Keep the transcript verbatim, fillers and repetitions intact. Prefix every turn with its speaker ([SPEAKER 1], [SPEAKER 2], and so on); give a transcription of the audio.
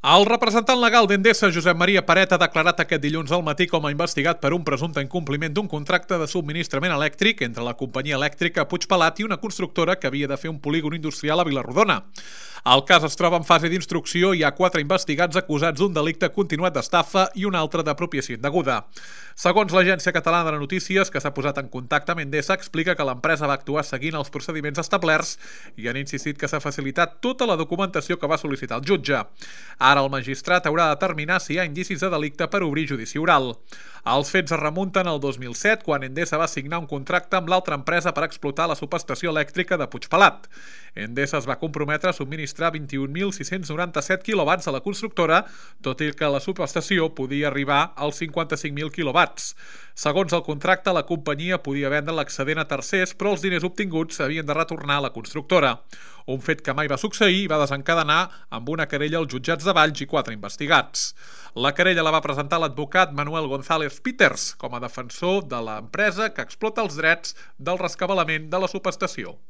[SPEAKER 1] El representant legal d'Endesa, Josep Maria Paret, ha declarat aquest dilluns al matí com a investigat per un presumpte incompliment d'un contracte de subministrament elèctric entre la companyia elèctrica Puigpelat i una constructora que havia de fer un polígon industrial a Vila-rodona. El cas es troba en fase d'instrucció i hi ha quatre investigats acusats d'un delicte continuat d'estafa i un altre d'apropiació indeguda. Segons l'Agència Catalana de Notícies, que s'ha posat en contacte amb Endesa, explica que l'empresa va actuar seguint els procediments establerts i han insistit que s'ha facilitat tota la documentació que va sol·licitar el jutge. Ara el magistrat haurà de determinar si hi ha indicis de delicte per obrir judici oral. Els fets es remunten al dos mil set, quan Endesa va signar un contracte amb l'altra empresa per explotar la subestació elèctrica de Puigpelat. Endesa es va comprometre a subministrar vint-i-un mil sis-cents noranta-set quilowatts a la constructora, tot i que la subestació podia arribar als cinquanta-cinc mil quilowatts. Segons el contracte, la companyia podia vendre l'excedent a tercers, però els diners obtinguts s'havien de retornar a la constructora. Un fet que mai va succeir i va desencadenar amb una querella als jutjats de Valls i quatre investigats. La querella la va presentar l'advocat Manuel González Peters com a defensor de l'empresa que explota els drets del rescabalament de la subestació.